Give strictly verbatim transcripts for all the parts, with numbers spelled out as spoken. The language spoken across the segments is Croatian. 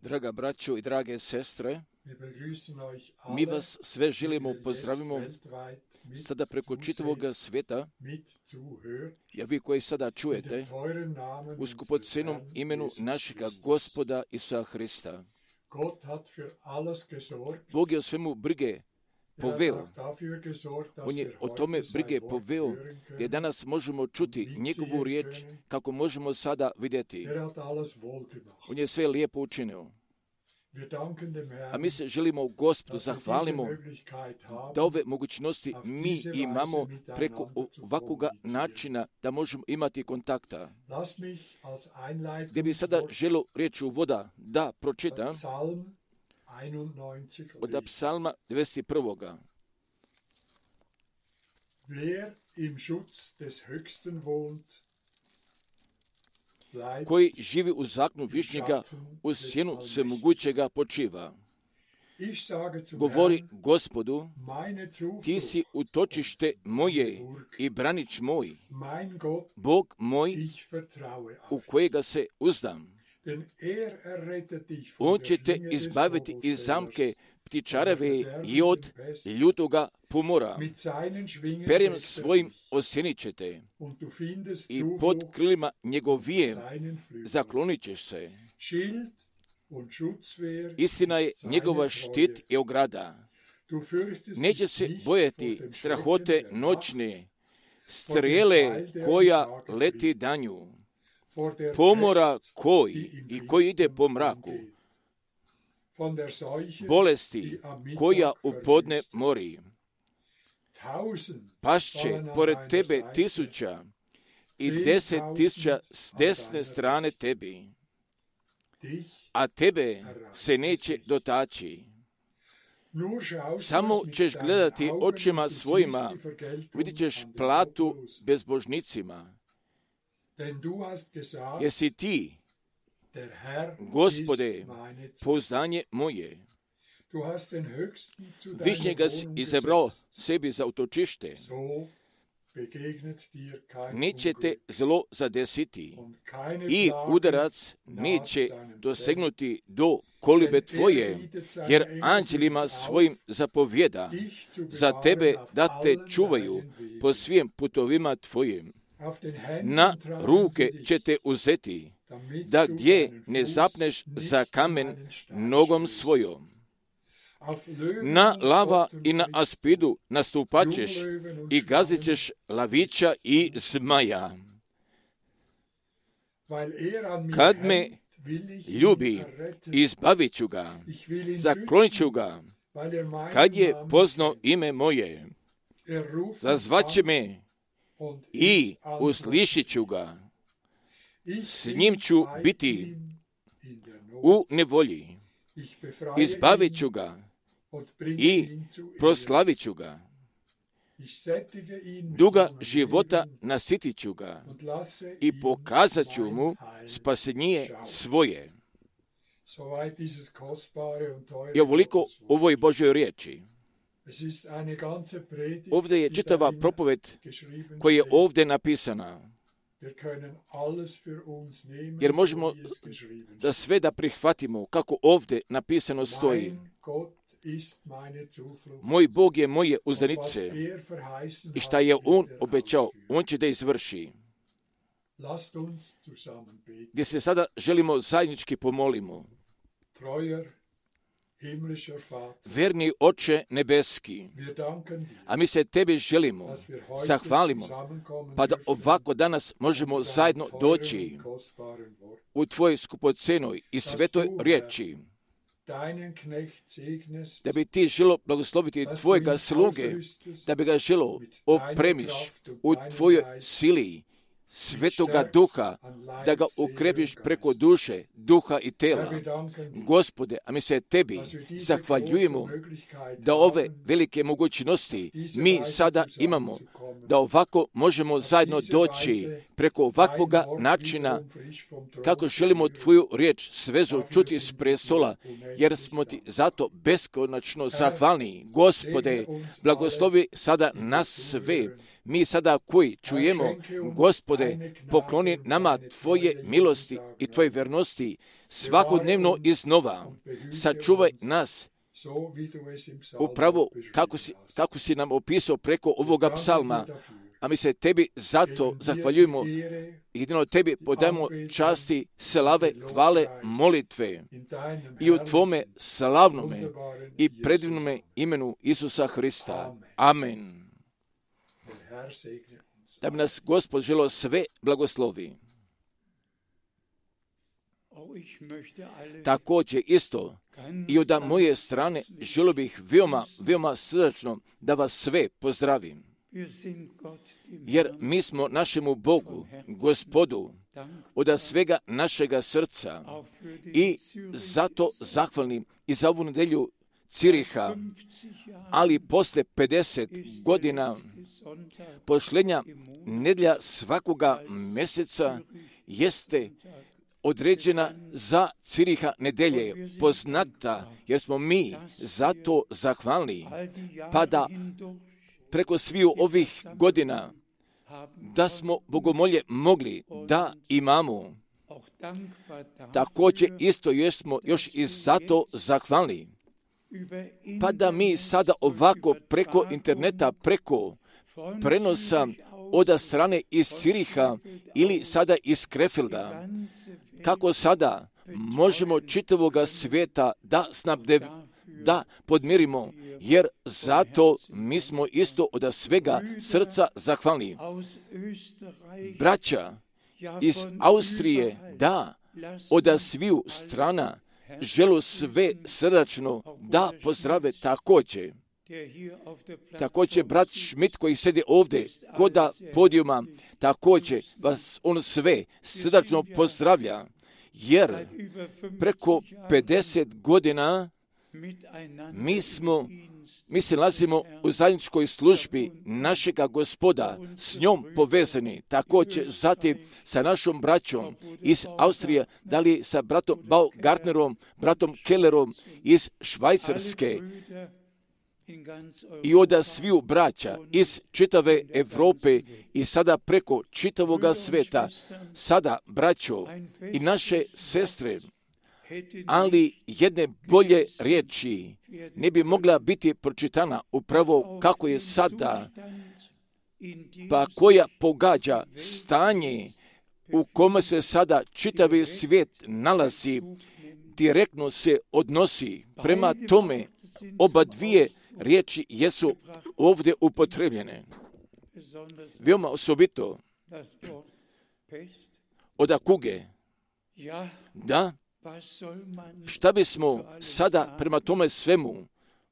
Draga braćo i drage sestre, mi vas sve želimo pozdravimo sada preko čitavog svijeta, ja vi koji sada čujete, u skupocenom imenu našega Gospoda Isusa Hrista. Bog je o svemu brige poveo. On je o tome brige poveo, gdje danas možemo čuti njegovu riječ, kako možemo sada vidjeti. On je sve lijepo učinio. A mi se želimo Gospodu zahvalimo da ove mogućnosti mi imamo preko ovakvoga načina da možemo imati kontakta. Gdje bi sada želio riječ uvoda da pročitam od psalma devedeset prvoga. Koji živi u zakonu Višnjega, u sjenu svemogućega počiva. Govori Gospodu, ti si utočište moje i branič moj, Bog moj u kojega se uzdam. On će te izbaviti iz zamke ptičareve i od ljutoga pomora. Perjem svojim osjenit će te i pod krilima njegovijem zaklonit ćeš se. Istina je njegova štit i ograda. Neće se bojati strahote noćne, strijele koja leti danju, pomora koji i koji ide po mraku, bolesti koja u podne mori. Pašće pored tebe tisuća i deset tisuća s desne strane tebi, a tebe se neće dotaći. Samo ćeš gledati očima svojima, vidjet ćeš platu bezbožnicima. Jesi ti, Gospode, pouzdanje moje. Višnjega si izabrao sebi za utočište. Neće te zlo zadesiti i udarac neće dosegnuti do kolibe tvoje, jer anđelima svojim zapovjeda za tebe da te čuvaju po svim putovima tvojim. Na ruke će te uzeti, da gdje ne zapneš za kamen nogom svojom. Na lava i na aspidu nastupat ćeš i gazit ćeš lavića i zmaja. Kad me ljubi, izbavit ću ga, zaklonit ću ga, kad je poznao ime moje. Zazvaće me i uslišit ću ga. S njim ću biti u nevolji. Izbavit ću ga i proslavit ću ga. Duga života nasitit ću ga i pokazat ću mu spasenje svoje. I ovoliko ovoj Božoj riječi. Ovdje je čitava propoved koja je ovdje napisana. Jer možemo za sve da prihvatimo kako ovdje napisano stoji. Moj Bog je moje uzdanice i šta je On obećao, On će da izvrši. Gdje se sada želimo zajednički pomolimo. Verni Oče nebeski, a mi se Tebi želimo, zahvalimo, pa da ovako danas možemo zajedno doći u Tvojoj skupocenoj i svetoj riječi, da bi Ti želo blagosloviti Tvojega sluge, da bi ga želo opremiš u Tvojoj sili Svetoga Duha, da ga ukrepiš preko duše, duha i tela. Gospode, a mi se Tebi zahvaljujemo da ove velike mogućnosti mi sada imamo, da ovako možemo zajedno doći preko ovakvoga načina kako želimo Tvoju riječ svezu čuti s prestola, jer smo Ti zato beskonačno zahvalni. Gospode, blagoslovi sada nas sve. Mi sada koji čujemo, Gospode, pokloni nama Tvoje milosti i Tvoje vernosti svakodnevno iznova. Sačuvaj nas upravo kako si, kako si nam opisao preko ovoga psalma, a mi se Tebi zato zahvaljujemo. Jedino Tebi podajemo časti, slave, hvale, molitve i u Tvome slavnome i predivnome imenu Isusa Hrista. Amen. Da bi nas Gospod želeo sve blagoslovi. Također isto i od moje strane želio bih veoma, veoma srdačno da vas sve pozdravim. Jer mi smo našemu Bogu, Gospodu, od svega našega srca i zato zahvalni i za ovu nedelju Ciriha, ali posle pedeset godina posljednja nedjelja svakoga mjeseca jeste određena za Ciriha nedelje, poznata, jer smo mi zato zahvalni, pa da preko sviju ovih godina da smo bogomolje mogli da imamo. Također isto jesmo još i zato zahvalni, pa da mi sada ovako preko interneta, preko prenosa od strane iz Ciriha ili sada iz Krefelda, kako sada možemo čitavoga svijeta da snabde, da podmirimo, jer zato mi smo isto od svega srca zahvalni. Braća iz Austrije, da, od sviju strana želu sve srdačno da pozdrave također. Također brat Schmidt koji sedi ovdje koda podijuma, također vas on sve srdačno pozdravlja, jer preko pedeset godina mi smo, mi se nalazimo u zajedničkoj službi našega Gospoda, s njom povezani, također zatim sa našom braćom iz Austrije, da li sa bratom Baumgartnerom, bratom Kellerom iz Švajcarske, i od sviju braća iz čitave Europe i sada preko čitavoga sveta, sada braćo i naše sestre, ali jedne bolje riječi ne bi mogla biti pročitana upravo kako je sada, pa koja pogađa stanje u kome se sada čitavi svijet nalazi, direktno se odnosi prema tome. Oba dvije riječi jesu ovdje upotrebljene. Veoma osobito od kuge. Da, šta bismo sada prema tome svemu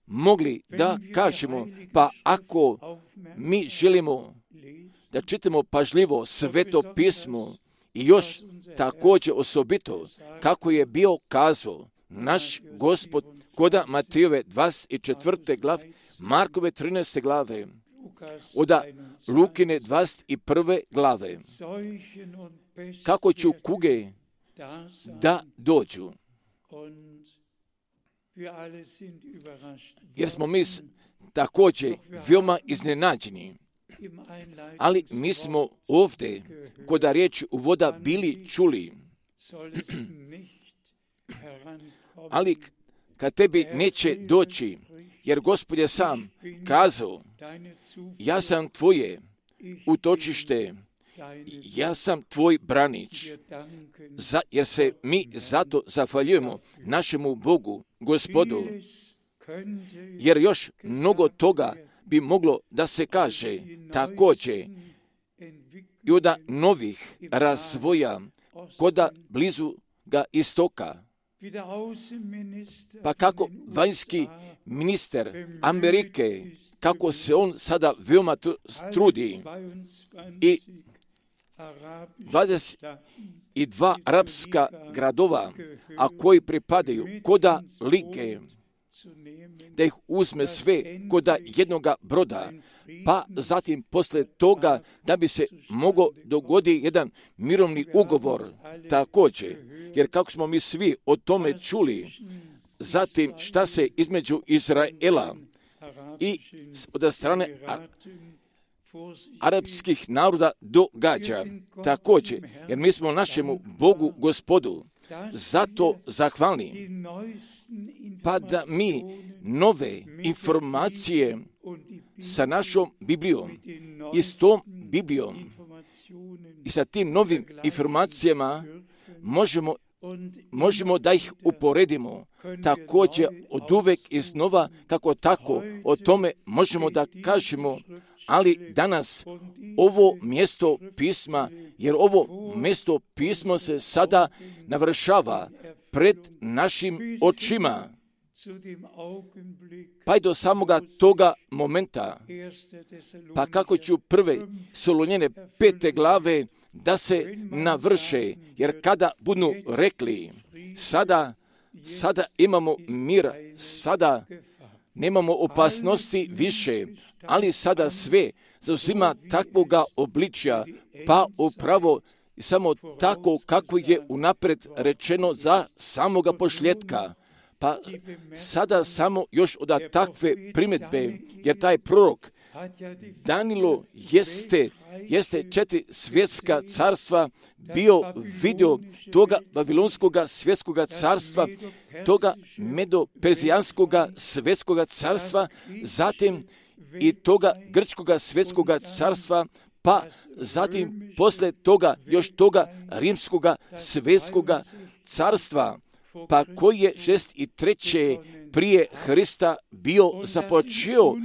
mogli da kažemo, pa ako mi želimo da čitamo pažljivo Sveto pismo i još također osobito kako je bio kazao naš Gospod koda Matejove dvadeset četvrte glave, Markove trinaeste glave, od Lukine dvadeset prve glave, kako ću kuge da dođu. Jer smo mi također veoma iznenađeni, ali mi smo ovdje kod riječi uvoda bili čuli, ali kad tebi neće doći, jer Gospod je sam kazao, ja sam tvoje utočište ja sam tvoj branič, za, jer se mi zato zahvaljujemo našemu Bogu, Gospodu, jer još mnogo toga bi moglo da se kaže također i od novih razvoja koda blizu ga istoka. Pa kako vanjski ministar Amerike, kako se on sada veoma trudi i dvadeset dva arapska gradova, a koji pripadaju koda lige, da ih uzme sve koda jednoga broda, pa zatim posle toga da bi se mogao dogoditi jedan mirovni ugovor također, jer kako smo mi svi o tome čuli, zatim šta se između Izraela i od strane arapskih naroda događa također, jer mi smo našemu Bogu Gospodu zato zahvalni, pa da mi nove informacije sa našom Biblijom i s tom Biblijom i sa tim novim informacijama možemo, možemo da ih uporedimo također od uvek iznova, kako tako o tome možemo da kažemo, ali danas ovo mjesto pisma, jer ovo mjesto pismo se sada navršava pred našim očima, pa i do samoga toga momenta, pa kako ću prve Solunjene pete glave da se navrše, jer kada budu rekli, sada, sada imamo mir, sada nemamo opasnosti više, ali sada sve zauzima takvoga obličja, pa upravo samo tako kako je unapred rečeno za samoga pošljetka. Pa sada samo još od takve primjedbe, jer taj prorok Danilo jeste, jeste četiri svjetska carstva bio vidio toga babilonskoga svjetskoga carstva, toga medo-perzijanskoga svjetskoga carstva, zatim i toga grčkoga svjetskoga carstva, pa zatim posle toga još toga rimskoga svjetskoga carstva, pa koji je šest i treće prije Hrista bio započeo,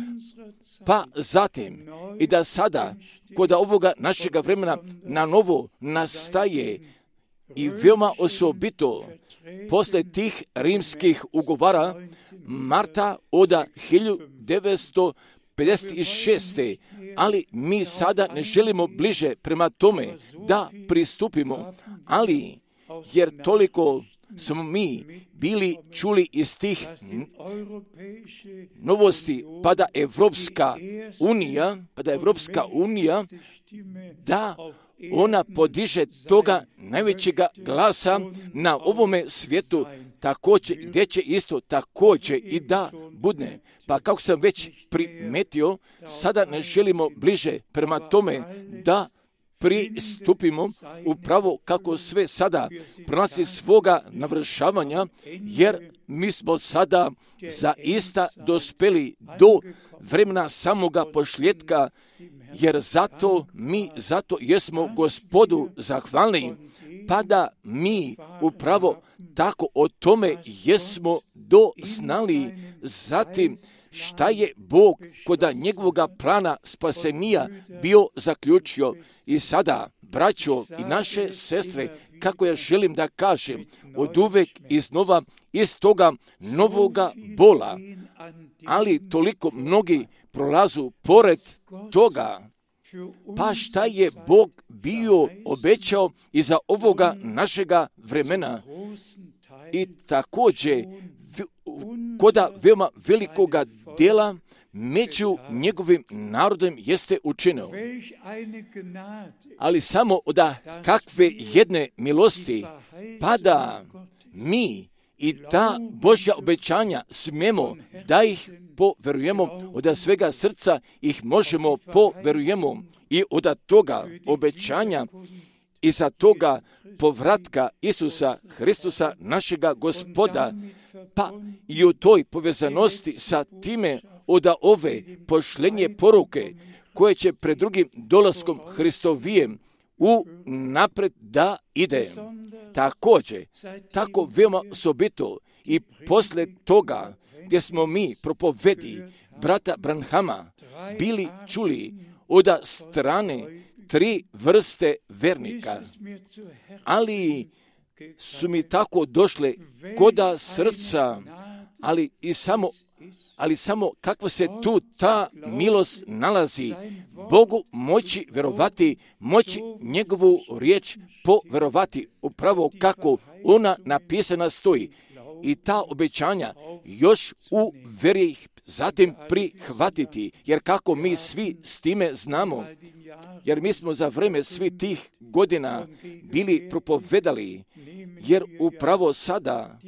pa zatim i da sada kod ovoga našega vremena na novo nastaje i veoma osobito posle tih rimskih ugovara marta od hiljadu devetsto pedeset šeste. Ali mi sada ne želimo bliže prema tome da pristupimo, ali jer toliko smo mi bili čuli iz tih novosti, pa da Evropska unija, pa da Evropska unija, da ona podiže toga najvećega glasa na ovome svijetu, također, gdje će isto također i da budne. Pa kako sam već primetio, sada ne želimo bliže prema tome da pristupimo upravo kako sve sada prolazi svoga navršavanja, jer mi smo sada zaista dospeli do vremena samoga pošljetka, jer zato mi zato jesmo Gospodu zahvalni, pa da mi upravo tako o tome jesmo doznali. Zatim šta je Bog koda njegovoga plana spasenija bio zaključio. I sada, braćo i naše sestre, kako ja želim da kažem, od uvek iznova iz toga novoga bola, ali toliko mnogi prolazu pored toga, pa šta je Bog bio obećao iza ovoga našega vremena. I također koda veoma velikoga dela među njegovim narodom jeste učinio. Ali samo od kakve jedne milosti, pa da mi i ta Božja obećanja smemo da ih poverujemo, od svega srca ih možemo poverujemo i od toga obećanja i za toga povratka Isusa Hristusa, našega Gospoda, pa i u toj povezanosti sa time od ove pošlenje poruke koje će pred drugim dolaskom Hristovijem u napred da ide. Također, tako veoma osobito i poslije toga gdje smo mi propovedi brata Branhama bili čuli od strane tri vrste vernika, ali su mi tako došle koda srca, ali i samo ali samo kakva se tu ta milost nalazi, Bogu moći verovati, moći njegovu riječ poverovati, upravo kako ona napisana stoji. I ta obećanja još u veri ih zatim prihvatiti, jer kako mi svi s time znamo, jer mi smo za vreme svih tih godina bili propovedali, jer upravo sada,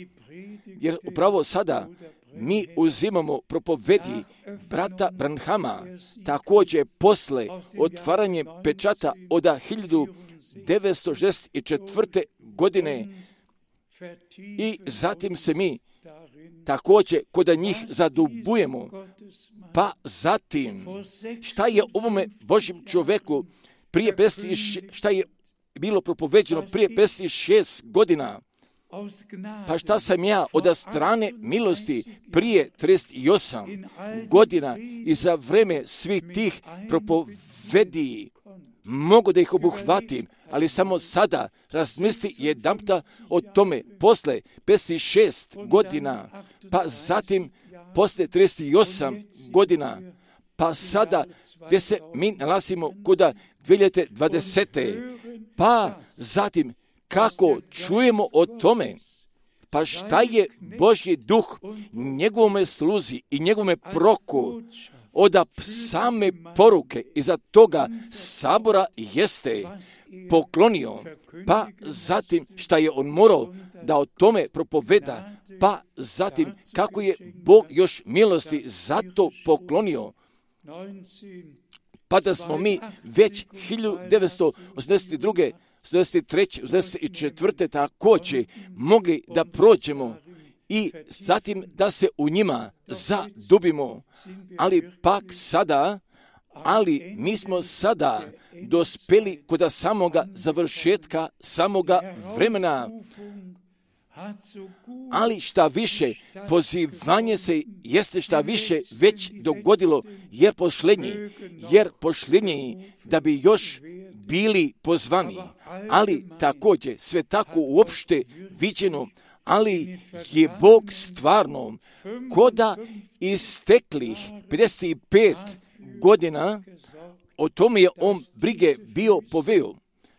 jer upravo sada mi uzimamo propovedi brata Branhama, također posle otvaranje pečata od hiljadu devetsto šezdeset četvrte. godine i zatim se mi također kod njih zadubujemo. Pa zatim, šta je ovome Božjem čovjeku prije pedeset, šta je bilo propoveđeno prije pedeset šest godina, pa šta sam ja od strane milosti prije trideset osam godina i za vreme svih tih propovedi mogu da ih obuhvatim, ali samo sada razmisli jedanputa o tome posle pedeset šest godina, pa zatim posle trideset osam godina, pa sada gdje se mi nalazimo kuda dvije hiljade dvadesete. Pa zatim kako čujemo o tome, pa šta je Božji duh njegovome sluzi i njegovome proku od same poruke iza toga sabora jeste poklonio, pa zatim šta je on morao da o tome propoveda, pa zatim kako je Bog još milosti zato poklonio, pa da smo mi već hiljadu devetsto osamdeset druge osamdeset treće osamdeset četvrte također mogli da prođemo i zatim da se u njima zadubimo, ali pak sada, ali mi smo sada dospeli kod samoga završetka, samoga vremena. Ali šta više, pozivanje se jeste šta više već dogodilo, jer pošlenji, jer pošlenji da bi još bili pozvani, ali također sve tako uopšte viđeno, ali je Bog stvarno koda isteklih pedeset pet godina, o tome je on brige bio poveo,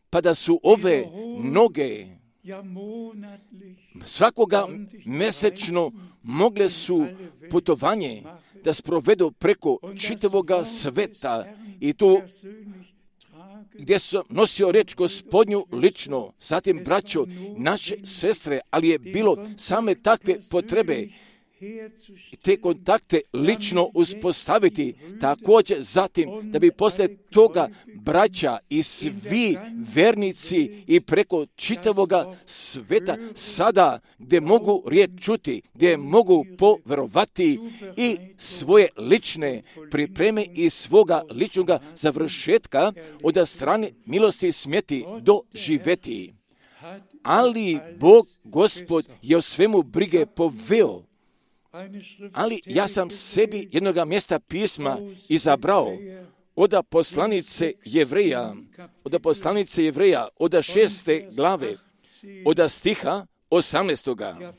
pa da su ove noge svakoga mesečno mogle su putovanje da sprovedu preko čitavoga sveta i tu gdje sam nosio reč Gospodnju lično, zatim braćo, naše sestre, ali je bilo same takve potrebe te kontakte lično uspostaviti, također zatim da bi poslije toga braća i svi vernici i preko čitavoga sveta sada gdje mogu riječ čuti, gdje mogu poverovati i svoje lične pripreme i svoga ličnoga završetka od strane milosti smjeti doživjeti. Ali Bog, Gospod, je o svemu brige poveo. Ali ja sam sebi jednoga mjesta pisma izabrao od poslanice Jevreja, od poslanice Jevreja, od šeste glave, od stiha osamnaestoga.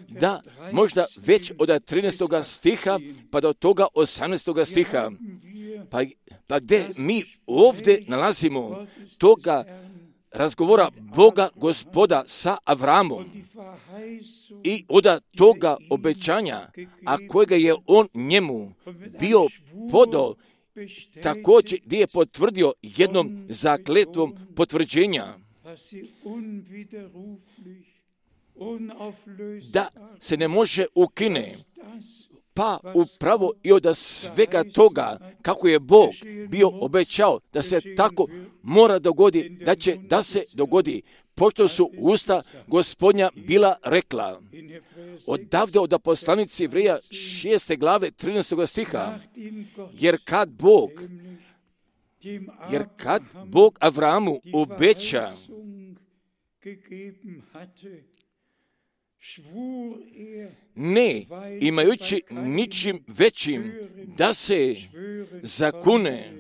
Da, možda već od trinaestoga stiha pa do toga osamnaestoga stiha. Pa, pa gdje mi ovdje nalazimo toga razgovora Boga Gospoda sa Avramom i od toga obećanja, a kojega je on njemu bio podao, također gdje je potvrdio jednom zakletvom potvrđenja da se ne može ukine. Pa upravo i od svega toga, kako je Bog bio obećao da se tako mora dogodi, da će da se dogodi, pošto su usta Gospodnja bila rekla. Odavde od poslanice Jevreja šeste glave trinaestoga stiha, jer kad Bog, Jer kad Bog Avramu obeća, ne imajući ničim većim da se zakune,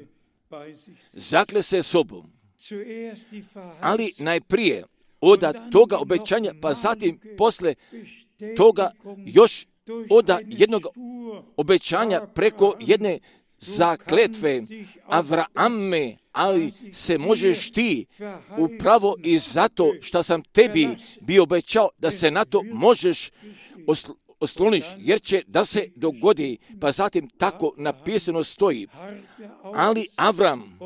zakle se sobom. Ali najprije oda toga obećanja, pa zatim posle toga još oda jednog obećanja preko jedne zakletve Avrame, ali se možeš ti upravo i zato što sam tebi bio obećao da se na to možeš osl- osloniš, jer će da se dogodi, pa zatim tako napisano stoji. Ali Avram,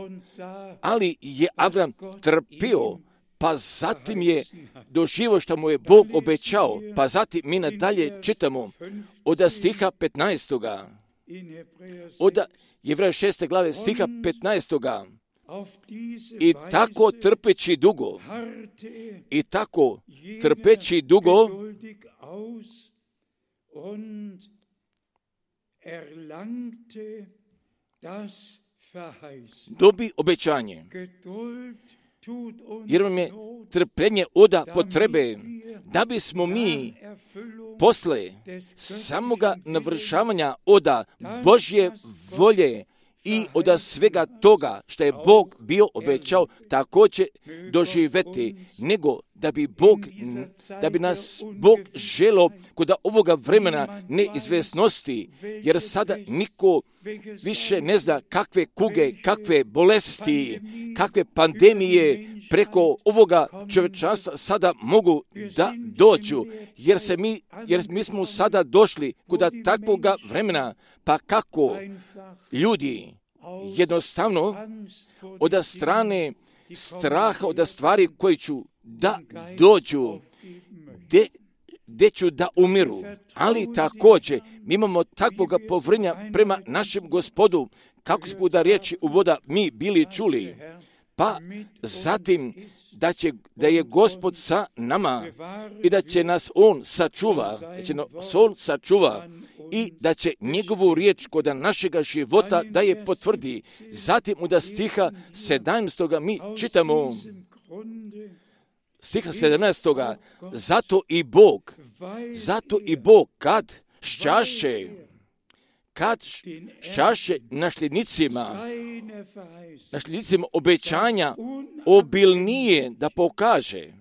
ali je Avram trpio, pa zatim je doživio što mu je Bog obećao, pa zatim mi nadalje čitamo od stiha petnaestoga. Od Jevreja šeste glave stiha petnaestoga. I tako trpeći dugo, i tako trpeći dugo, dobi obećanje. Jer vam je trpljenje oda potrebe da bismo mi posle samoga navršavanja oda Božje volje i od svega toga što je Bog bio obećao također doživjeti, nego da bi Bog, da bi nas Bog želio kod ovoga vremena neizvjesnosti, jer sada niko više ne zna kakve kuge, kakve bolesti, kakve pandemije preko ovoga čovječanstva sada mogu da dođu, jer se mi, jer mi smo sada došli kod takvoga vremena, pa kako ljudi jednostavno od strane straha, od stvari koji ću da dođu, gde, gde ću da umiru. Ali također mi imamo takvoga povrnja prema našem Gospodu, kako smo da riječi uvoda mi bili čuli. Pa zatim da, će, da je Gospod sa nama i da će nas On sačuva, da će nas On sačuva i da će njegovu riječ kod našega života da je potvrdi. Zatim u stiha sedamnaestoga mi čitamo, stiha sedamnaestoga, zato i Bog, zato i Bog kad šćaše, kad šćaše nasljednicima, nasljednicima obećanja obilnije da pokaže,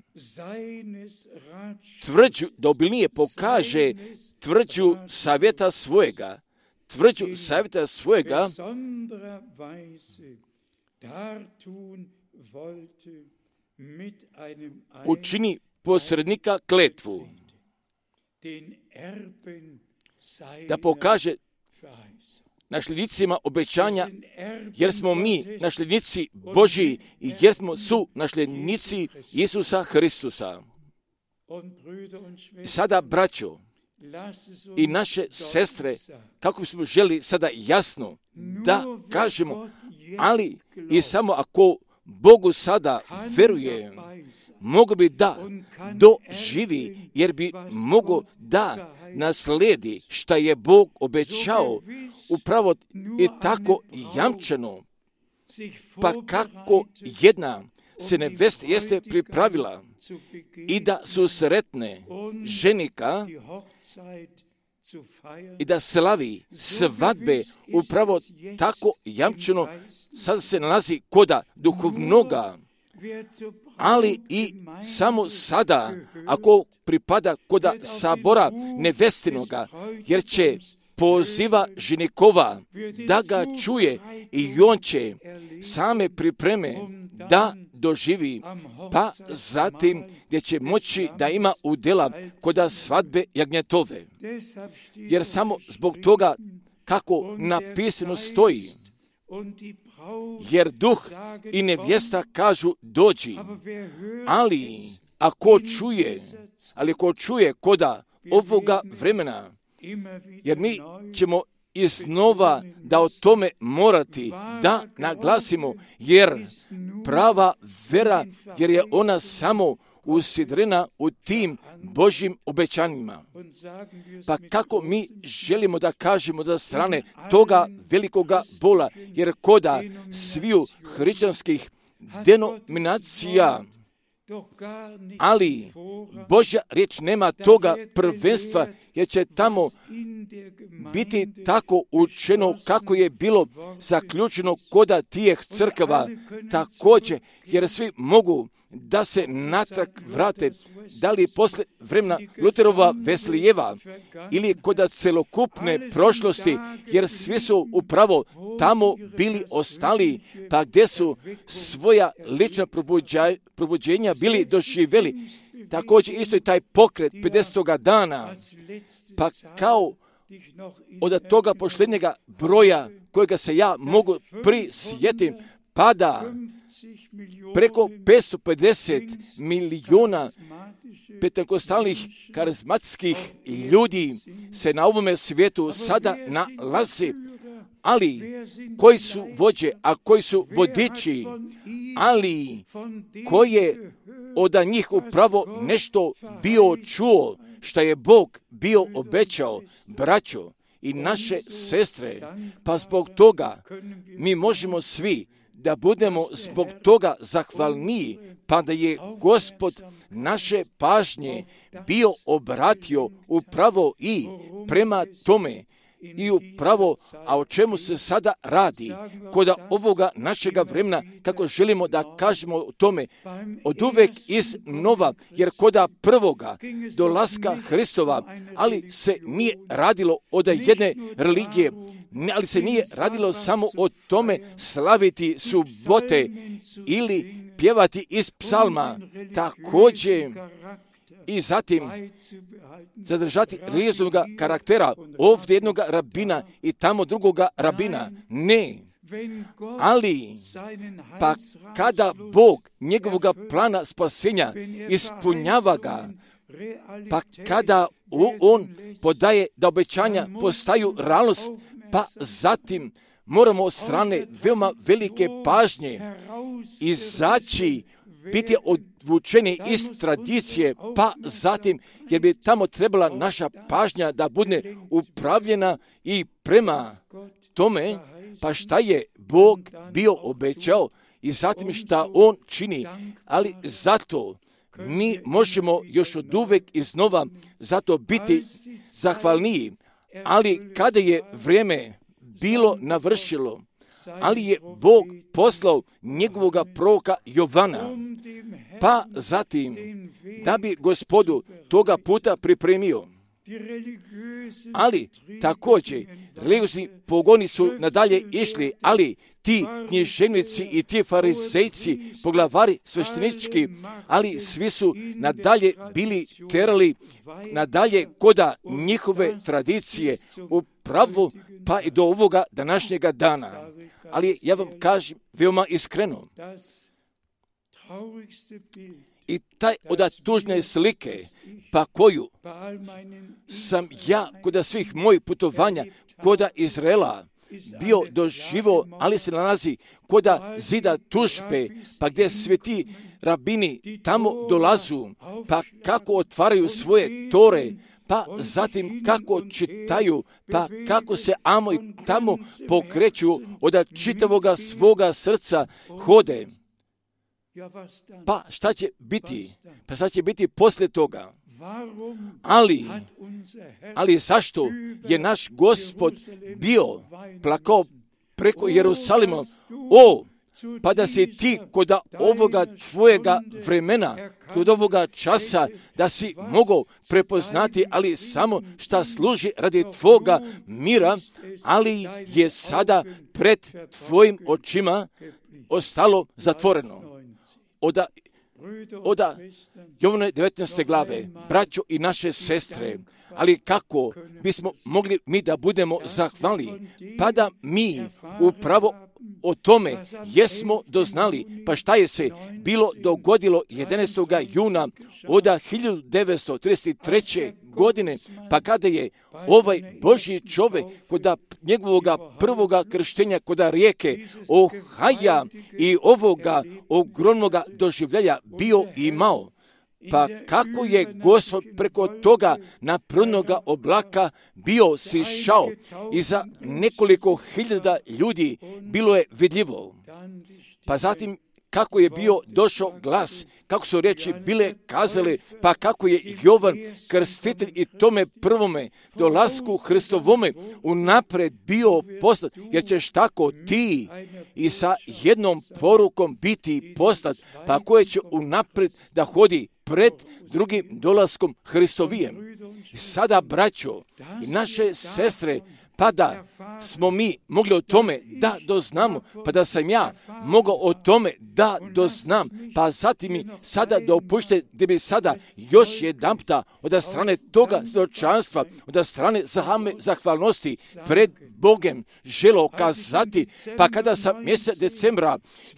tvrđu, da obilnije pokaže tvrđu savjeta svojega, tvrđu savjeta svojega, učini posrednika kletvu, da pokaže nasljednicima obećanja, jer smo mi nasljednici Božji i jer smo su nasljednici Isusa Hristusa. Sada, braćo i naše sestre, kako bismo želi sada jasno da kažemo, ali i samo ako Bogu sada veruje, mogu bi da doživi, jer bi mogo da nasledi šta je Bog obećao, upravo i tako jamčeno. Pa kako jedna se nevesta jeste pripravila i da su sretne ženika i da slavi svadbe, upravo tako jamčeno sada se nalazi koda duhovnoga, ali i samo sada, ako pripada koda sabora nevestinoga, jer će poziva ženikova da ga čuje i on će same pripreme da doživi, pa zatim gdje će moći da ima udjela koda svadbe jagnjetove. Jer samo zbog toga kako napisano stoji, jer duh i nevjesta kažu dođi, ali ako čuje, ali ako čuje koda ovoga vremena, jer mi ćemo iznova da o tome morati da naglasimo, jer prava vera, jer je ona samo usidrena u tim Božjim obećanjima. Pa kako mi želimo da kažemo da strane toga velikoga bola, jer koda sviju hrišćanskih denominacija, ali Božja riječ nema toga prvenstva, jer će tamo biti tako učeno kako je bilo zaključeno koda tijeh crkava također, jer svi mogu da se natrag vrate, da li posle vremena Luterova Veslijeva ili koda celokupne prošlosti, jer svi su upravo tamo bili ostali, pa gdje su svoja lična probuđenja bili doživjeli. Također isto i taj pokret pedesetoga dana, pa kao od toga posljednjega broja kojega se ja mogu prisjetim, pada preko petsto pedeset milijuna pentekostalnih karizmatskih ljudi se na ovome svijetu sada nalazi, ali koji su vođe, a koji su vodiči, ali koji je od njih upravo nešto bio čuo, što je Bog bio obećao, braćo i naše sestre, pa zbog toga mi možemo svi da budemo zbog toga zahvalniji, pa da je Gospod naše pažnje bio obratio upravo i prema tome i upravo, a o čemu se sada radi, kod ovoga našega vremena, kako želimo da kažemo o tome, od uvek iznova, jer koda prvoga dolaska Hristova, ali se nije radilo od jedne religije, ali se nije radilo samo o tome slaviti subote ili pjevati iz psalma, također i zatim zadržati religioznog karaktera, ovdje jednog rabina i tamo drugoga rabina. Ne, ali pa kada Bog njegovog plana spasenja ispunjava ga, pa kada on podaje da obećanja postaju realnost, pa zatim moramo od strane veoma velike pažnje izaći, biti odvučeni iz tradicije, pa zatim, jer bi tamo trebala naša pažnja da bude upravljena i prema tome, pa šta je Bog bio obećao i zatim šta On čini, ali zato mi možemo još od uvek iznova zato biti zahvalniji, ali kada je vrijeme bilo navršilo, ali je Bog poslao njegovog proroka Jovana, pa zatim da bi Gospodu toga puta pripremio. Ali također religiozni pogoni su nadalje išli, ali ti književnici i ti farizejci, poglavari sveštenički, ali svi su nadalje bili terali nadalje koda njihove tradicije upravo pa i do ovoga današnjega dana. Ali ja vam kažem veoma iskreno, i taj od tužne slike, pa koju sam ja kod svih mojih putovanja koda Izraela bio doživo, ali se nalazi koda zida tužbe, pa gdje sveti rabini tamo dolazu, pa kako otvaraju svoje tore, pa zatim kako čitaju, pa kako se amo i tamo pokreću od čitavoga svoga srca hode. Pa šta će biti? Pa šta će biti poslije toga? Ali, ali zašto je naš Gospod bio plakao preko Jerusalima? O, pa da si ti kod ovoga tvojega vremena, kod ovoga časa, da si mogao prepoznati, ali samo šta služi radi tvoga mira, ali je sada pred tvojim očima ostalo zatvoreno. Oda, oda Jovane devetnaeste glave, braćo i naše sestre, ali kako bismo mogli mi da budemo zahvalni, pa da mi upravo o tome jesmo doznali, pa šta je se bilo dogodilo jedanaestog juna od hiljadu devetsto trideset treće. godine, pa kada je ovaj Božji čovjek kod njegovoga prvoga krštenja kod rijeke Ohaja i ovoga ogromnoga doživljaja bio imao, pa kako je Gospod preko toga naprednoga oblaka bio sišao i za nekoliko hiljada ljudi bilo je vidljivo. Pa zatim kako je bio došao glas, kako su riječi bile kazale, pa kako je Jovan krstitelj i tome prvome dolasku Hristovome unapred bio poslat, jer ćeš tako ti i sa jednom porukom biti poslat, pa koje će unapred da hodi pred drugim dolaskom Hristovijem. Sada, braćo i naše sestre, pa da smo mi mogli o tome da doznamo, pa da sam ja mogao o tome da doznam, pa zatim mi sada dopušte da bi sada još jedanputa od strane toga svjedočanstva, od strane zahvalnosti pred Bogem želo kazati, pa kada sam mjesec decembra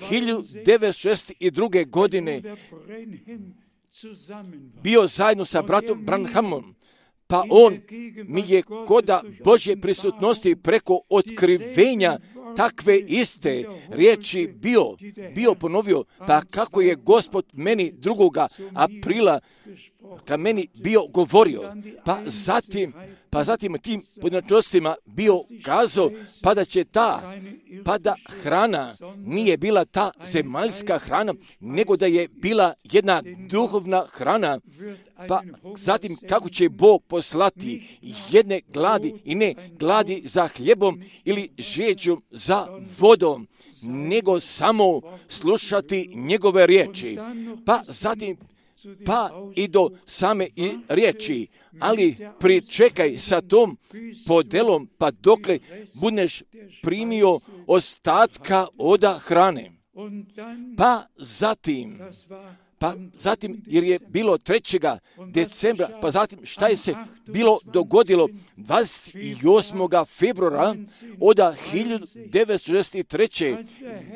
hiljadu devetsto šezdeset druge. godine bio zajedno sa bratom Branhamom, pa on mi je koda Božje prisutnosti preko otkrivenja takve iste riječi bio, bio ponovio, pa kako je Gospod meni drugoga aprila ka meni bio govorio, pa zatim, pa zatim tim pojedinačnostima bio kazao, pa da će ta, pa da hrana nije bila ta zemaljska hrana, nego da je bila jedna duhovna hrana, pa zatim kako će Bog poslati jedne gladi i ne gladi za hljebom ili žeđom za vodom, nego samo slušati njegove riječi, pa zatim pa i do same i riječi, ali pričekaj sa tom podelom, pa dokle budeš primio ostatka oda hrane. Pa zatim, pa zatim, jer je bilo trećega decembra, pa zatim šta je se bilo dogodilo dvadeset osmog februara od hiljadu devetsto šezdeset treće.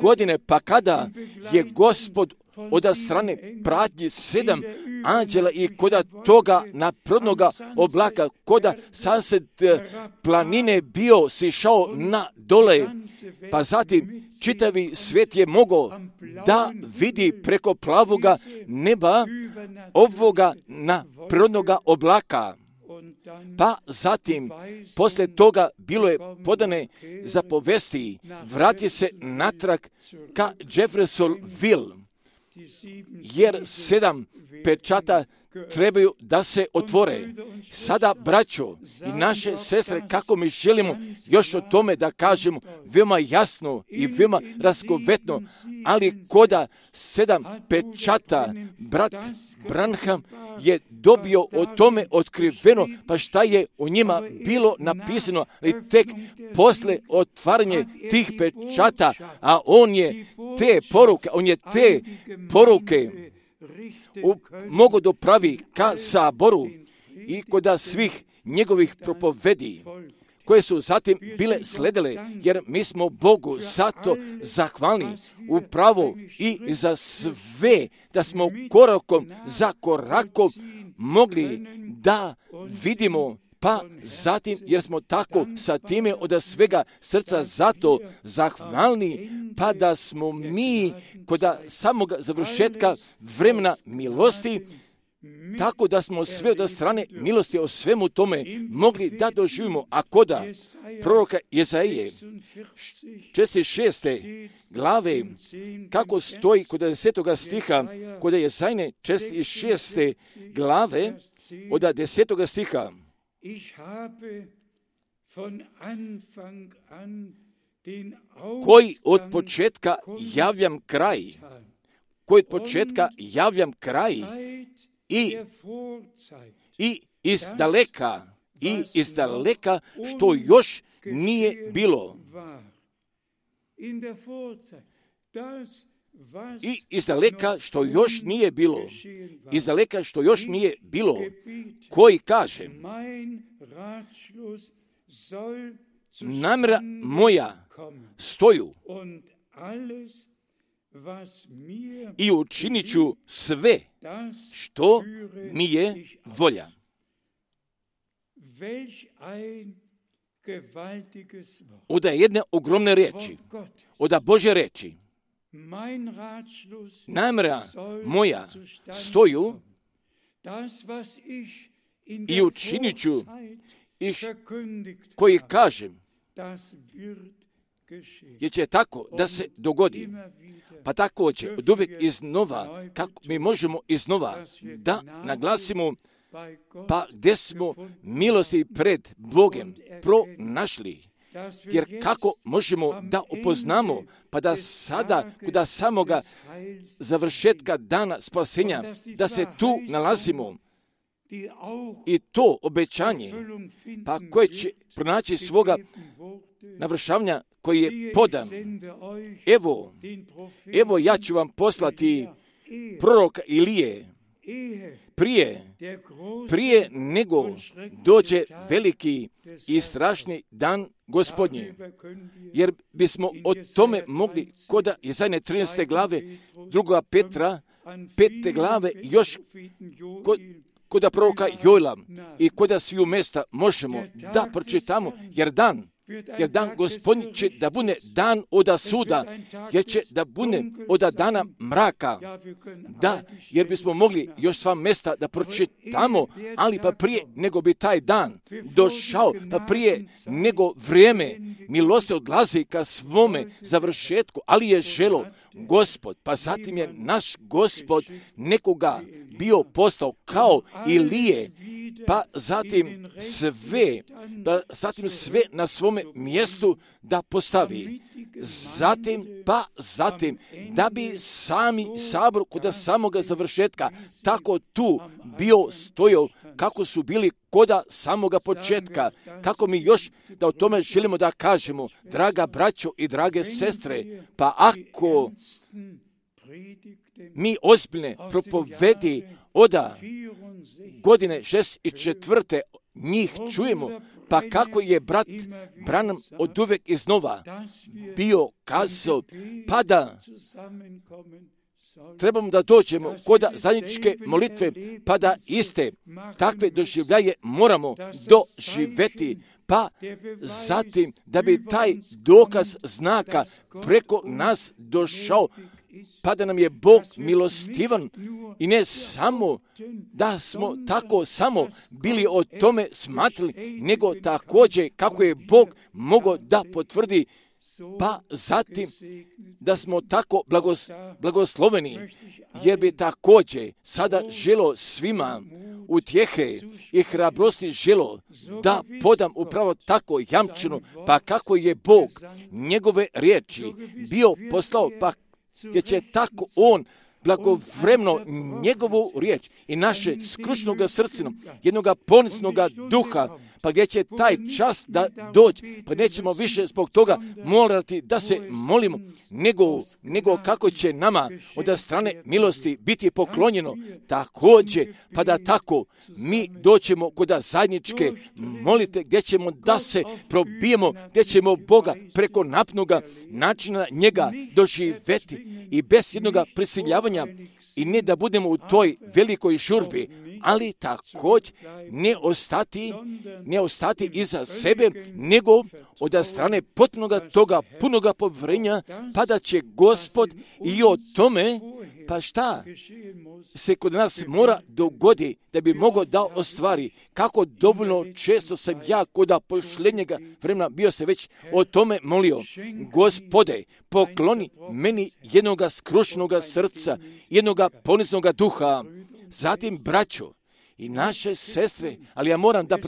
godine, pa kada je Gospod od strane pratnje sedam anđela i koda toga naprednoga oblaka, koda sasved planine bio sišao na dole, pa zatim čitavi svijet je mogao da vidi preko plavoga neba ovoga naprednoga oblaka. Pa zatim, posle toga bilo je podane zapovesti, vrati se natrag ka Jeffersonville, jer sedam pečata trebaju da se otvore. Sada, braćo i naše sestre, kako mi želimo još o tome da kažemo veoma jasno i veoma razgovetno, ali koda sedam pečata, brat Branham je dobio o tome otkriveno, pa šta je u njima bilo napisano, ali tek posle otvaranje tih pečata, a on je te poruke, on je te poruke u, mogu dopravi ka saboru i koda svih njegovih propovedi, koje su zatim bile sledile, jer mi smo Bogu zato zahvalni upravo i za sve, da smo korakom za korakom mogli da vidimo, pa zatim, jer smo tako sa time od svega srca zato zahvalni, pa da smo mi kod samog završetka vremena milosti, tako da smo sve od strane milosti o svemu tome mogli da doživimo. A koda proroka Jezaije četrdeset šeste glave, kako stoji kod desetoga stiha, kod Jezaje četrdeset šeste glave od desetoga stiha, koji od početka javljam kraj, koji od početka javljam kraj i, i iz daleka, i iz daleka što još nije bilo. I iz daleka što još nije bilo, iz daleka što još nije bilo, koji kaže, namjera moja stoju i učinit ću sve što mi je volja. od jedne ogromne riječi, od Božje riječi. Namjera moja stoju i učinit ću iš koji kažem, jer će tako da se dogodi. Pa također, od uvijek iznova, kako mi možemo iznova da naglasimo, pa gdje smo milosti pred Bogom pronašli. Jer kako možemo da upoznamo, pa da sada, kod samoga završetka dana spasenja, da se tu nalazimo, i to obećanje, pa koje će pronaći svoga navršavanja koji je podan. Evo, evo ja ću vam poslati proroka Ilije, prije, prije nego dođe veliki i strašni dan Gospodnji. Jer bismo o tome mogli kod Jesaje trinaeste glave, druga Petra, pete glave, još kod, kod proroka Joela i kod sviju mesta možemo da pročitamo, jer dan, jer dan Gospodnji će da bude dan oda suda, jer će da bude oda dana mraka. Da, jer bismo mogli još sva mesta da pročitamo, ali pa prije nego bi taj dan došao, pa prije nego vrijeme milosti odlazi ka svome završetku, ali je želo Gospod, pa zatim je naš Gospod nekoga bio postao kao Ilije, pa zatim sve, pa zatim sve na svome mjestu da postavi. Zatim, pa zatim, da bi sami sabor kod samoga završetka tako tu bio stojao kako su bili koda samoga početka. Kako mi još da o tome želimo da kažemo, draga braćo i drage sestre, pa ako mi ozbiljne propovedi oda godine šest i četvrte njih čujemo, pa kako je brat Branham od uvek iznova bio kazao, pa da trebamo da dođemo kod zajedničke molitve, pa da iste takve doživljaje moramo doživeti, pa zatim da bi taj dokaz znaka preko nas došao, pa da nam je Bog milostivan i ne samo da smo tako samo bili o tome smatrali, nego također kako je Bog mogao da potvrdi, pa zatim da smo tako blagos, blagosloveni, jer bi također sada želo svima utjehe i hrabrosti želo da podam upravo tako jamčinu, pa kako je Bog njegove riječi bio poslao, pa jer će tako on blagovremno njegovu riječ i naše skrušnoga srcina, jednoga ponisnoga duha, pa gdje će taj čas da dođe, pa nećemo više zbog toga morati da se molimo, nego, nego kako će nama od strane milosti biti poklonjeno također, pa da tako mi doćemo kod zajedničke molite, gdje ćemo da se probijemo, gdje ćemo Boga preko napnoga načina njega doživeti i bez jednoga prisiljavanja, i ne da budemo u toj velikoj žurbi, ali također ne ostati, ne ostati iza sebe, nego od strane potpunoga toga punoga povjerenja, pa da će Gospod i o tome, pa šta se kod nas mora dogodi da bi mogao da ostvari. Kako dovoljno često sam ja kod pošljednjega vremena bio se već o tome molio. Gospode, pokloni meni jednoga skrušnoga srca, jednoga poniznoga duha. Zatim, braćo i naše sestre, ali ja moram da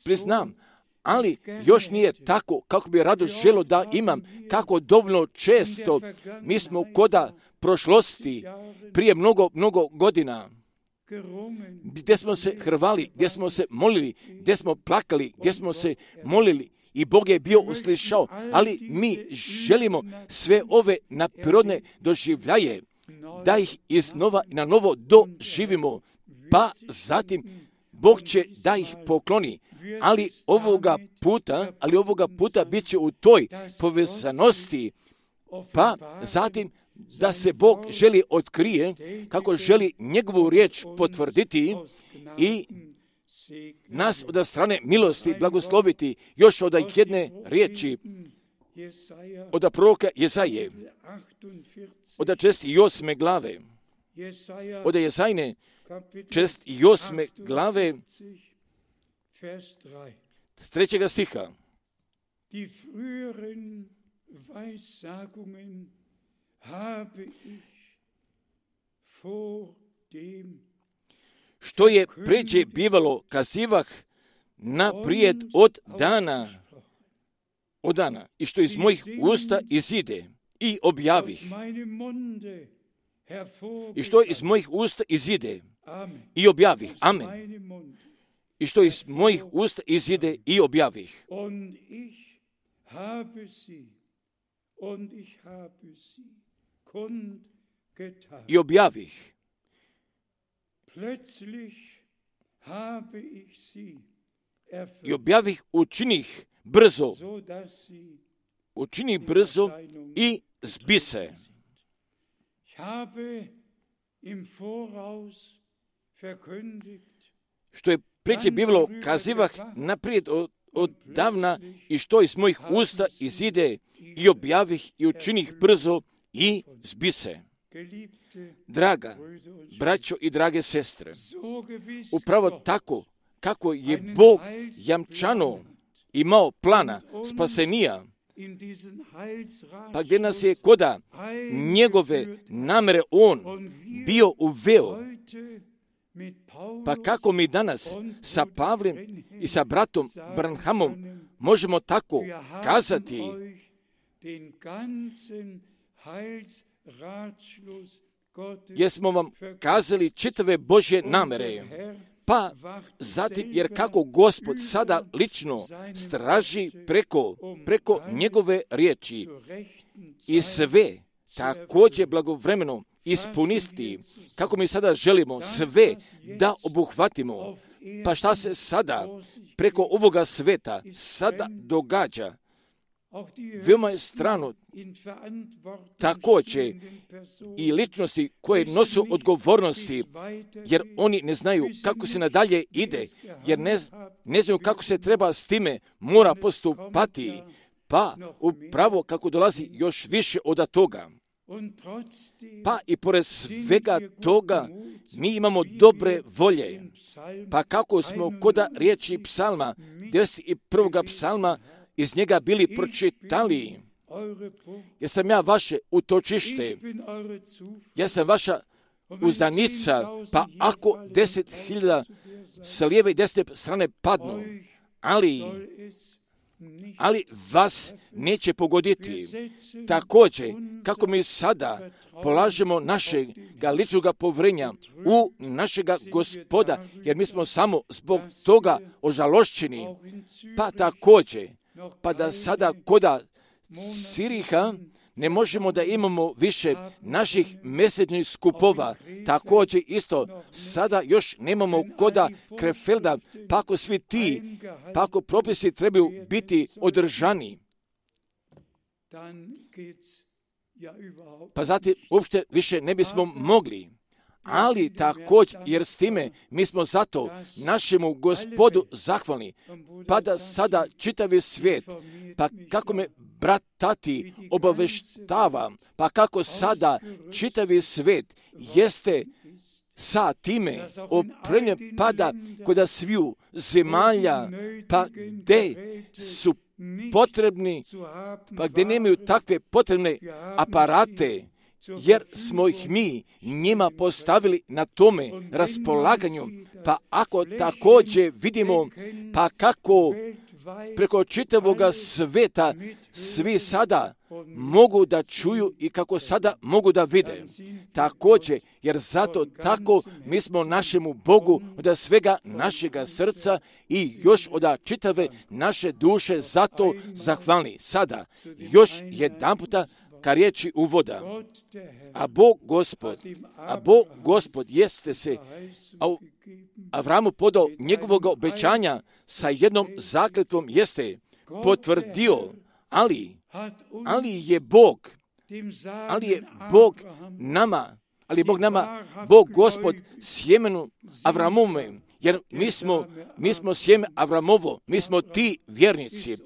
priznam, ali još nije tako kako bi rado želo da imam, kako dovoljno često mi smo koda prošlosti prije mnogo, mnogo godina, gdje smo se hrvali, gdje smo se molili, gdje smo plakali, gdje smo se molili i Bog je bio uslišao, ali mi želimo sve ove naprirodne doživljaje da ih iznova i na novo doživimo, pa zatim Bog će da ih pokloni, ali ovoga puta, ali ovoga puta bit će u toj povezanosti, pa zatim da se Bog želi otkrije, kako želi njegovu riječ potvrditi i nas od strane milosti blagosloviti još od jedne riječi od proroka Jesaje, od šest i osme glave, od Jesajne šest i osme glave, s trećega stiha. Die früheren Weissagungen habe ich vor dem što je pređe bivalo kazivah naprijed od dana, od dana, i što iz mojih usta izide i objavih. I što iz mojih usta izide i objavih. Amen. I što iz mojih usta izide i objavih. I objavih. I objavih učinih brzo, učinih brzo i zbise. Što je preće bivalo kazivah naprijed od, od davna i što iz mojih usta izide i objavih i učinih brzo i zbise. Draga braćo i drage sestre, upravo tako kako je Bog jamčano imao plana spasenija, pa gdje nas je koda njegove namere on bio uveo, pa kako mi danas sa Pavlem i sa bratom Branhamom možemo tako kazati, jer smo vam kazali čitave Božje namere. Pa zatim, jer kako Gospod sada lično straži preko, preko njegove riječi i sve također blagovremeno ispunisti, kako mi sada želimo sve da obuhvatimo. Pa šta se sada preko ovoga sveta sada događa? Veoma je strano također i ličnosti koje nosu odgovornosti, jer oni ne znaju kako se nadalje ide, jer ne, ne znaju kako se treba s time mora postupati, pa upravo kako dolazi još više od toga. Pa i pored svega toga mi imamo dobre volje, pa kako smo koda riječi psalma, devedeset prvog psalma, iz njega bili pročitali, jer sam ja vaše utočište, ja sam vaša uzdanica, pa ako deset hiljada sa lijeve i desne strane padnu, ali, ali vas neće pogoditi. Također, kako mi sada polažemo našega ličnoga povrenja u našega Gospoda, jer mi smo samo zbog toga ožalošćeni, pa također, pa da sada koda Siriha ne možemo da imamo više naših mjesečnih skupova. Također isto, sada još nemamo koda Krefelda, pa ako svi ti, pa ako propisi trebaju biti održani, pa zatim uopšte više ne bismo mogli. Ali također, jer s time mi smo zato našemu Gospodu zahvalni, pa da sada čitavi svijet, pa kako me brat Tati obaveštava, pa kako sada čitavi svijet jeste sa time opremljen, pa da kod sviju zemalja, pa gdje su potrebni, pa gdje nemaju takve potrebne aparate, jer smo ih mi njima postavili na tome raspolaganju. Pa ako također vidimo, pa kako preko čitavoga sveta svi sada mogu da čuju i kako sada mogu da vide. Također, jer zato tako mi smo našemu Bogu od svega našega srca i još od čitave naše duše zato zahvalni. Sada, još jedan puta ka riječi uvoda. A Bog Gospod, a Bog Gospod jeste se Avramu podao njegovog obećanja sa jednom zakletvom jeste potvrdio, ali, ali je Bog, ali je Bog nama, ali je Bog nama, Bog Gospod sjemenu Avramome jer mi smo, mi smo sjeme Avramovo, mi smo ti vjernici,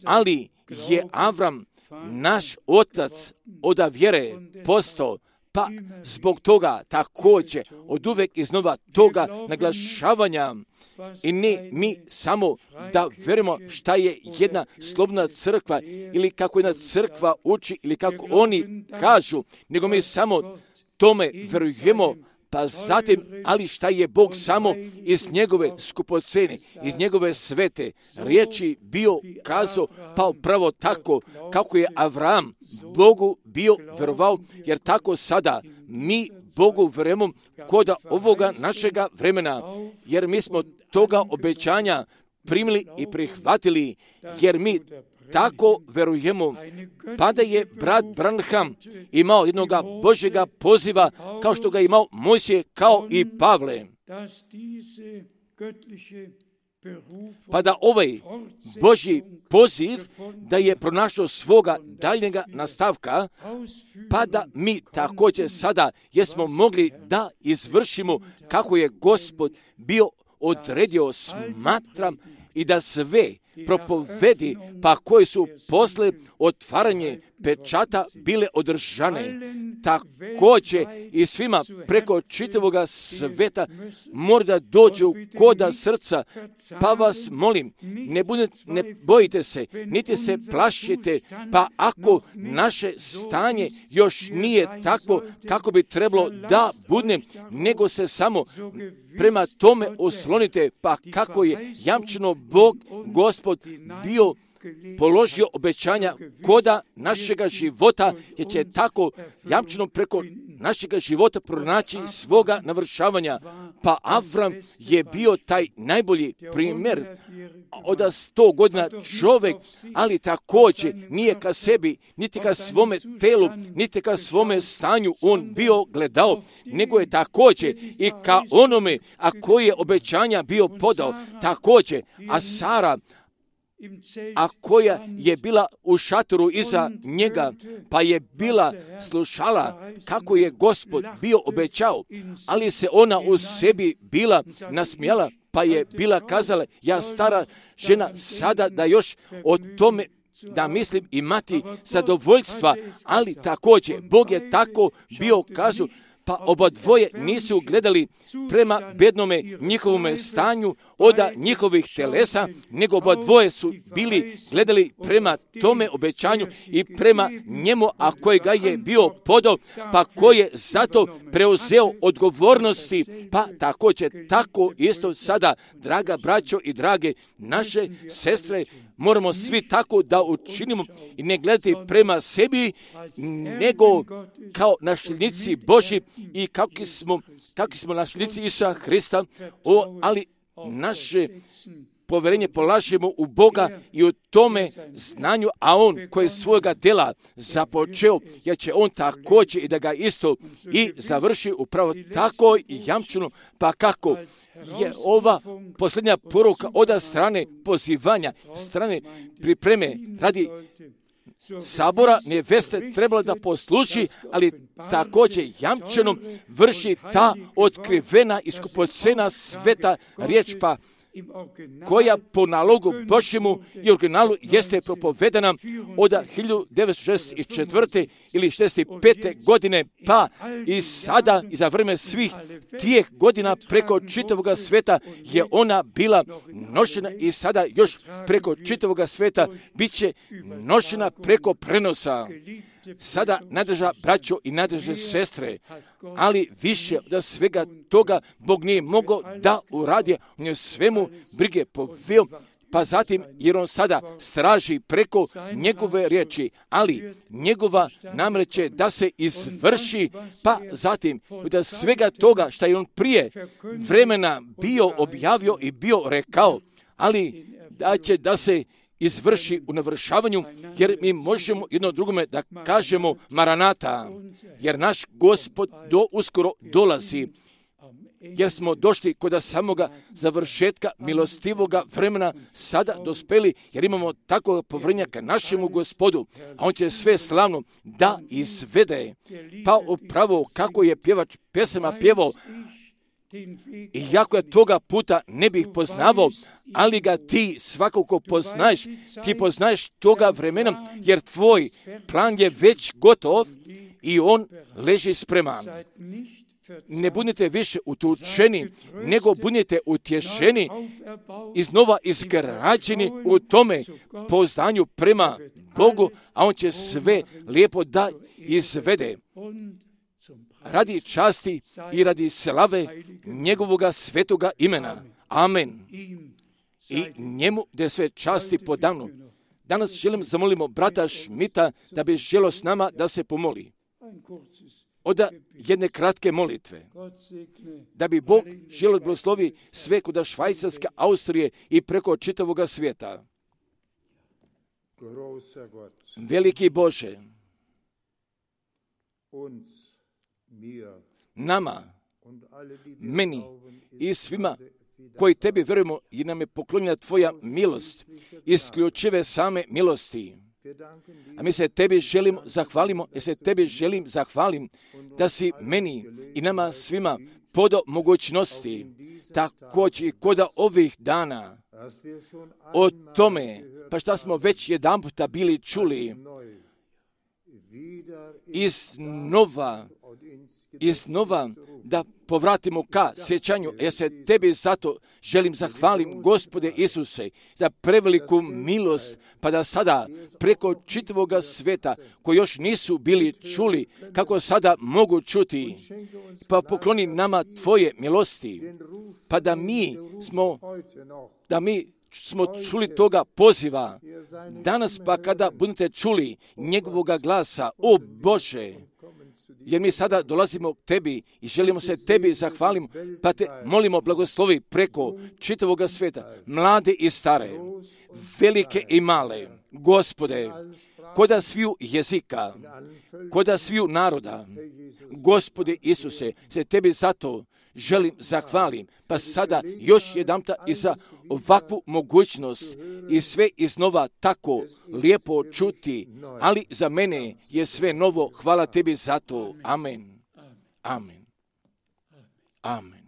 ali je Avram naš otac od vjere postao, pa zbog toga također od uvek iznova toga naglašavanja i ne mi samo da verujemo šta je jedna slobodna crkva ili kako jedna crkva uči ili kako oni kažu, nego mi samo tome verujemo. Pa zatim, ali šta je Bog samo iz njegove skupocene, iz njegove svete riječi bio kazao, pa upravo tako kako je Avram Bogu bio verovao, jer tako sada mi Bogu verujemo kod ovoga našega vremena, jer mi smo toga obećanja primili i prihvatili, jer mi tako verujemo, pa da je brat Branham imao jednoga Božjega poziva, kao što ga imao Mojsije, kao i Pavle. Pa da ovaj Božji poziv da je pronašao svoga daljnjega nastavka, pa da mi također sada jesmo mogli da izvršimo kako je Gospod bio odredio, smatram, i da sve propovedi, pa koje su posle otvaranje pečata bile održane. Također i svima preko čitavoga sveta mora da dođu koda srca, pa vas molim, ne, budete, ne bojite se, niti se plašite, pa ako naše stanje još nije takvo kako bi trebalo da bude, nego se samo prema tome oslonite, pa kako je jamčeno Bog, Gospod, bio položio obećanja koda našega života, jer će tako jamčeno preko našega života pronaći svoga navršavanja. Pa Avram je bio taj najbolji primjer od sto godina čovjek, ali također nije ka sebi, niti ka svome telu, niti ka svome stanju on bio gledao, nego je također i ka onome, a koji je obećanja bio podao, također, a Sara, a koja je bila u šatoru iza njega, pa je bila slušala kako je Gospod bio obećao, ali se ona u sebi bila nasmijala, pa je bila kazala, ja stara žena sada da još o tome da mislim imati zadovoljstva, ali također Bog je tako bio kazao, pa oba dvoje nisu gledali prema bednome njihovome stanju oda njihovih telesa, nego oba dvoje su bili gledali prema tome obećanju i prema njemu, a kojega je bio podao, pa koji je zato preuzeo odgovornosti, pa također tako isto sada, draga braćo i drage naše sestre, moramo svi tako da učinimo i ne gledati prema sebi, nego kao nasljednici Božji i kakvi smo, kakvi smo nasljednici Isusa Hrista, o, ali naše povjerenje polažemo u Boga i u tome znanju, a On koji je svojega dela započeo, jer će On također i da ga isto i završi upravo tako i jamčeno, pa kako je ova posljednja poruka od strane pozivanja, strane pripreme radi sabora neveste trebala da posluši, ali također jamčeno vrši ta otkrivena i skupocena sveta riječ, pa koja po nalogu Božjemu i originalu jeste propovedana od hiljadu devetsto šezdeset četvrte ili šezdeset pete godine, pa i sada i za vrijeme svih tijeh godina preko čitavog sveta je ona bila nošena i sada još preko čitavog sveta bit će nošena preko prenosa. Sada nadrža braćo i nadrže sestre, ali više od svega toga Bog nije mogao da uradi, on je svemu brige poveo, pa zatim jer on sada straži preko njegove riječi, ali njegova namreće da se izvrši, pa zatim od svega toga što je on prije vremena bio objavio i bio rekao, ali da će da se izvrši u navršavanju, jer mi možemo jedno drugome da kažemo Maranata, jer naš Gospod do uskoro dolazi, jer smo došli kod samoga završetka milostivoga vremena sada dospeli, jer imamo takvog povjerenja ka našemu Gospodu, a on će sve slavno da izvede. Pa upravo kako je pjevač pesama pjevao, Iako ja toga puta ne bih poznavao, ali ga ti svakako poznaješ, ti poznaješ toga vremena, jer tvoj plan je već gotov i on leži spreman. Ne budite više utučeni, nego budite utješeni, iznova izgrađeni u tome poznanju prema Bogu, a on će sve lijepo da izvede. Radi časti i radi slave njegovoga svetoga imena. Amen. I njemu da sve časti po danu. Danas želim zamolimo brata Šmita da bi želio s nama da se pomoli. Od jedne kratke molitve. Da bi Bog želio blagoslovi sve kod Švajcarske, Austrije i preko čitavoga svijeta. Veliki Bože, nama, meni i svima koji tebi vjerujemo i nam je poklonjena tvoja milost, isključive same milosti. A mi se tebi želimo, zahvalimo, ja se tebi želim, zahvalim da si meni i nama svima podao mogućnosti, također i kod ovih dana, o tome, pa šta smo već jedan puta bili čuli, iznova, iznova da povratimo ka sjećanju. Ja se tebi zato želim zahvalim, Gospode Isuse, za preveliku milost, pa da sada preko čitavoga sveta, koji još nisu bili čuli, kako sada mogu čuti, pa pokloni nama tvoje milosti, pa da mi smo, da mi smo čuli toga poziva. Danas pa kada budete čuli njegovoga glasa, o Bože, jer mi sada dolazimo k tebi i želimo se tebi zahvalimo, pa te molimo blagoslovi preko čitavoga sveta, mlade i stare, velike i male, Gospode, koda sviju jezika, koda sviju naroda, Gospode Isuse, se tebi zato želim zahvalim, pa sada još jedanputa i za ovakvu mogućnost i sve iznova tako lijepo čuti, ali za mene je sve novo, hvala tebi za to. Amen. Amen. Amen.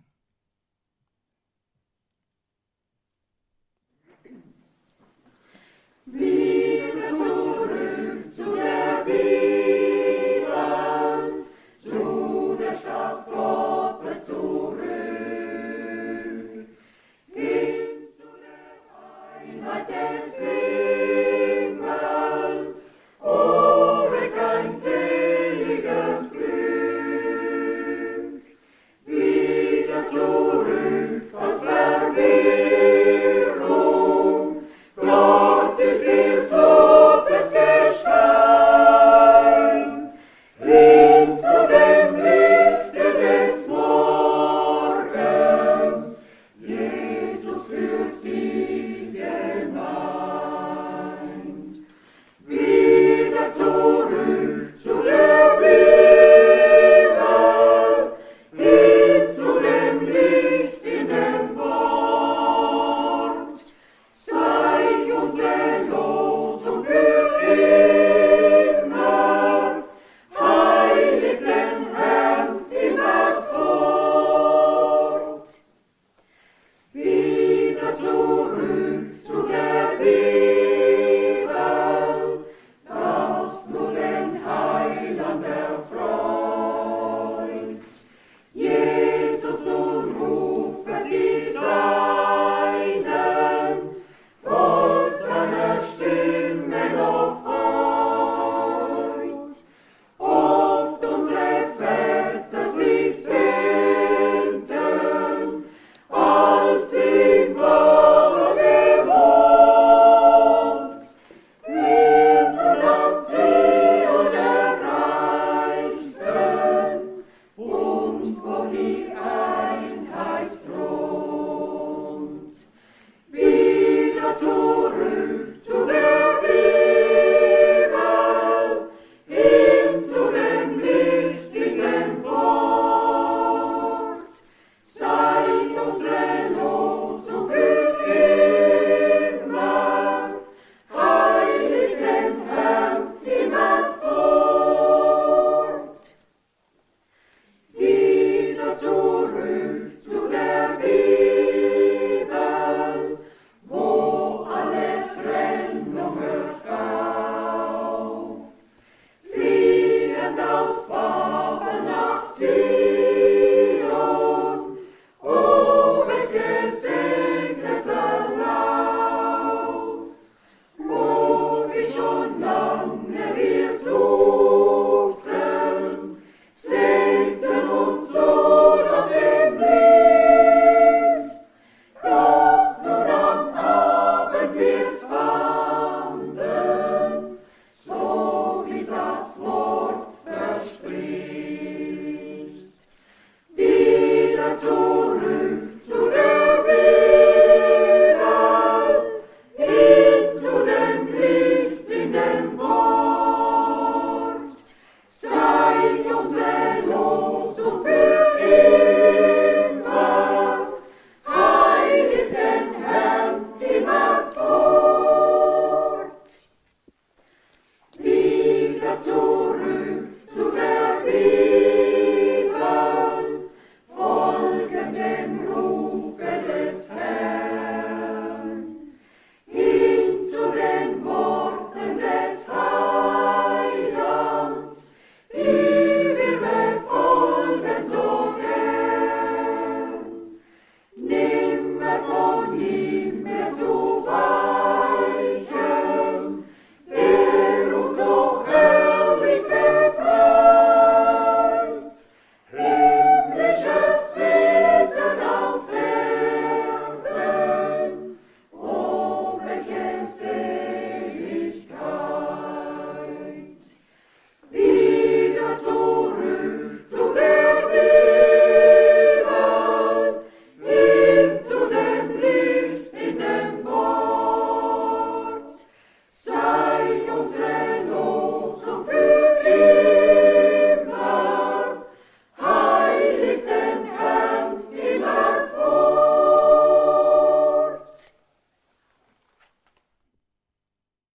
Wieder zurück.